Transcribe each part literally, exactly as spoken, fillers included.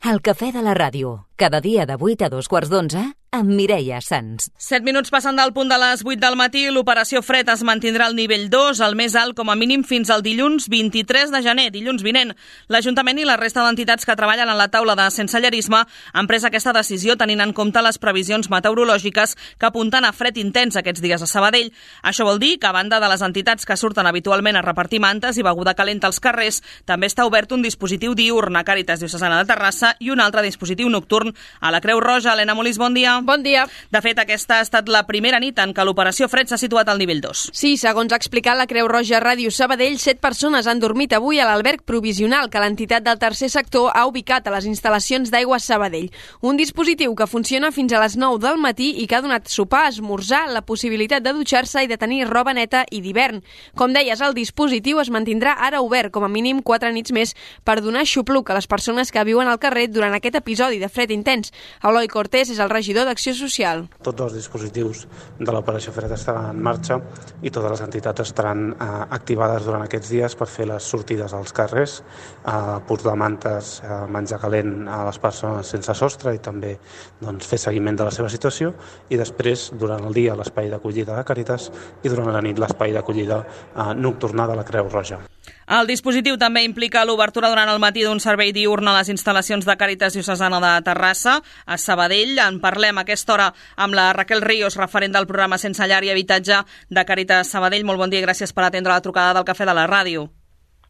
El cafè de la ràdio, cada dia de vuit a dos quarts d'onze, amb Mireia Sans. Set minuts passant del punt de les vuit del matí, l'operació fred es mantindrà al nivell dos, el més alt com a mínim fins al dilluns vint-i-tres de gener, dilluns vinent. L'Ajuntament i la resta d'entitats que treballen en la taula de sensellarisme han pres aquesta decisió tenint en compte les previsions meteorològiques que apunten a fred intens aquests dies a Sabadell. Això vol dir que, a banda de les entitats que surten habitualment a repartir mantes i beguda calenta als carrers, també està obert un dispositiu diürn a Càritas Diocesana de Terrassa i un altre dispositiu nocturn a la Creu Roja. Helena Molís, bon dia. Bon dia. De fet, aquesta ha estat la primera nit en què l'operació fred s'ha situat al nivell dos. Sí, segons ha explicat la Creu Roja Ràdio Sabadell, set persones han dormit avui a l'alberg provisional que l'entitat del tercer sector ha ubicat a les instal·lacions d'Aigües Sabadell. Un dispositiu que funciona fins a les nou del matí i que ha donat sopar, esmorzar, la possibilitat de dutxar-se i de tenir roba neta i d'hivern. Com deies, el dispositiu es mantindrà ara obert com a mínim quatre nits més per donar xupluc a les persones que viuen al carrer durant aquest episodi de fred intens. Eloi Cortés és el regidor d'Acció Social. Tots els dispositius de l'operació fred estaran en marxa i totes les entitats estaran eh, activades durant aquests dies per fer les sortides als carrers, eh, posar mantes, eh, menjar calent a les persones sense sostre i també doncs, fer seguiment de la seva situació, i després, durant el dia, l'espai d'acollida de Càritas i durant la nit l'espai d'acollida eh, nocturna de la Creu Roja. El dispositiu també implica l'obertura durant el matí d'un servei diürn a les instal·lacions de Càritas Diocesana de Terrassa, a Sabadell. En parlem a aquesta hora amb la Raquel Ríos, referent del programa Sense Llar i Habitatge de Càritas Sabadell. Molt bon dia i gràcies per atendre la trucada del cafè de la ràdio.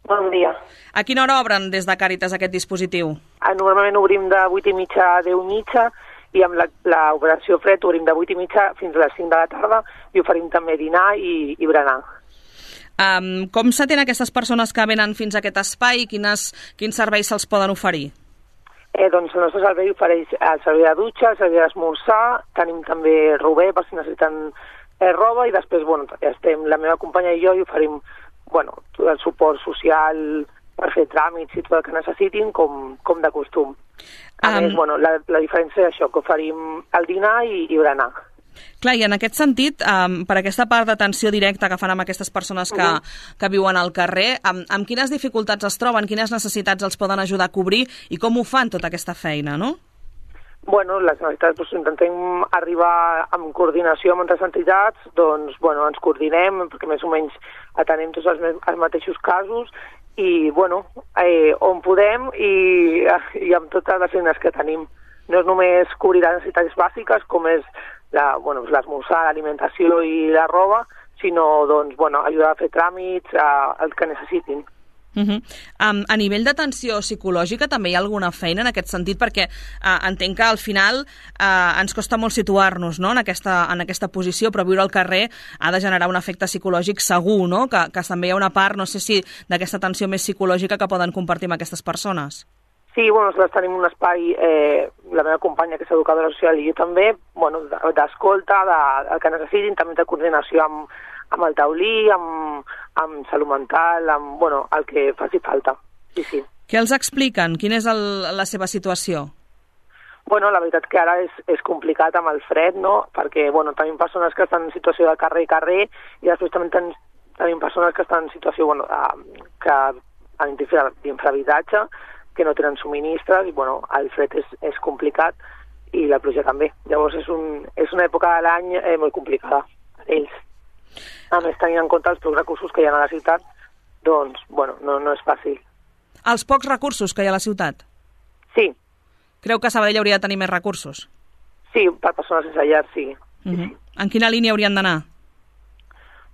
Bon dia. A quina hora obren des de Càritas aquest dispositiu? Normalment obrim de vuit i mitja a deu i mitja i amb l'operació fred obrim de vuit i mitja fins a les cinc de la tarda i oferim també dinar i, i berenar. Um, com s'atén aquestes persones que venen fins a aquest espai? Quines, quins serveis se'ls poden oferir? Eh, doncs el nostre servei ofereix el servei de dutxa, el servei d'esmorzar, tenim també rober per si necessiten eh, roba i després, bueno, estem la meva companya i jo i oferim, bueno, tot el suport social per fer tràmits i tot el que necessitin com, com de costum. A um... més, bueno, la, la diferència és això, que oferim el dinar i, i berenar. Clar, i en aquest sentit, um, per aquesta part d'atenció directa que fan amb aquestes persones que, uh-huh. que viuen al carrer, amb, amb quines dificultats es troben, quines necessitats els poden ajudar a cobrir i com ho fan tota aquesta feina, no? Bueno, les necessitats, doncs, intentem arribar amb coordinació amb altres entitats, doncs, bueno, ens coordinem perquè més o menys atenem tots els, els mateixos casos i, bueno, eh, on podem i, i amb totes les eines que tenim. No és només cobrir les necessitats bàsiques, com és la, bueno, l'esmorzar, l'alimentació i la roba, sinó doncs, bueno, ajudar a fer tràmits, a, el que necessitin. Uh-huh. Um, a nivell d'atenció psicològica també hi ha alguna feina en aquest sentit? Perquè uh, entenc que al final uh, ens costa molt situar-nos, no?, en aquesta, en aquesta posició, però viure al carrer ha de generar un efecte psicològic segur, no?, que, que també hi ha una part, no sé si, d'aquesta atenció més psicològica que poden compartir amb aquestes persones. Sí, bueno, nosaltres tenim un espai, eh, la meva companya que és educadora social i jo també, bueno, d'escolta, de, el que necessitin, també de coordinació amb, amb el taulí, amb, amb salut mental, amb, bueno, el que faci falta. Sí, sí. Què els expliquen? Quina és el, la seva situació? Bueno, la veritat que ara és, és complicat amb el fred, no?, perquè, bueno, tenim persones que estan en situació de carrer i carrer i després també ten, tenim persones que estan en situació, bueno, de, que han d'infrahabitatge, que no tenen subministres i, bueno, el fred és, és complicat i la pluja també. Llavors és, un, és una època de l'any eh, molt complicada per ells. A més, tenint en compte els pocs recursos que hi ha a la ciutat, doncs, bueno, no, no és fàcil. Els pocs recursos que hi ha a la ciutat? Sí. Creu que Sabadell hauria de tenir més recursos? Sí, per persones sense llar, sí. Uh-huh. sí, sí. En quina línia haurien d'anar?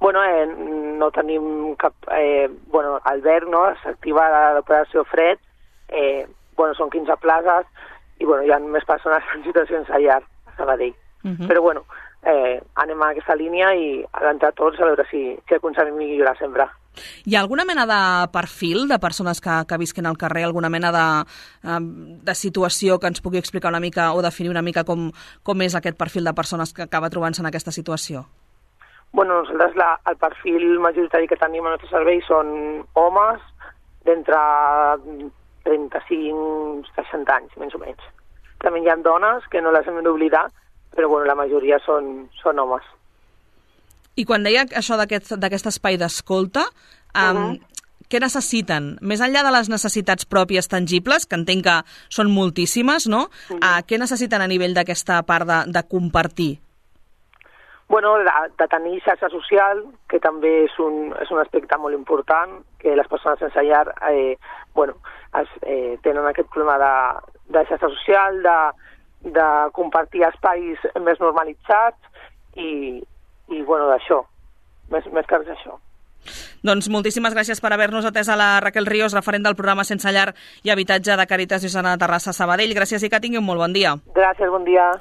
Bueno, eh, no tenim cap... Eh, bueno, Albert, no?, s'activa l'operació fred. Eh, bueno, són quinze places i, bueno, hi ha més persones en situacions a llar a Sabadell. Uh-huh. Però, bueno, eh, anem a aquesta línia i entre tots a veure si, si aconseguim millorar sempre. Hi ha alguna mena de perfil de persones que, que visquen al carrer, alguna mena de, de situació que ens pugui explicar una mica o definir una mica com, com és aquest perfil de persones que acaba trobant-se en aquesta situació? Bueno, nosaltres la, el perfil majoritari que tenim al nostre servei són homes d'entre trenta-cinc a seixanta anys, més o menys. També hi ha dones, que no les hem d'oblidar, però bueno, la majoria són, són homes. I quan deia això d'aquest d'aquest espai d'escolta, um, uh-huh. què necessiten? Més enllà de les necessitats pròpies tangibles, que entenc que són moltíssimes, no? Mm. Uh, què necessiten a nivell d'aquesta part de, de compartir? Bueno, de, de tenir xarxa social, que també és un, és un aspecte molt important, que les persones sense llar eh, bueno, es, eh, tenen aquest problema de, de xarxa social, de, de compartir espais més normalitzats i, i bueno, d'això, més, més que res això. Doncs moltíssimes gràcies per haver-nos atès a la Raquel Ríos, referent del programa Sense Llar i Habitatge de Càritas Diocesana de Terrassa Sabadell. Gràcies i que tingui un molt bon dia. Gràcies, bon dia.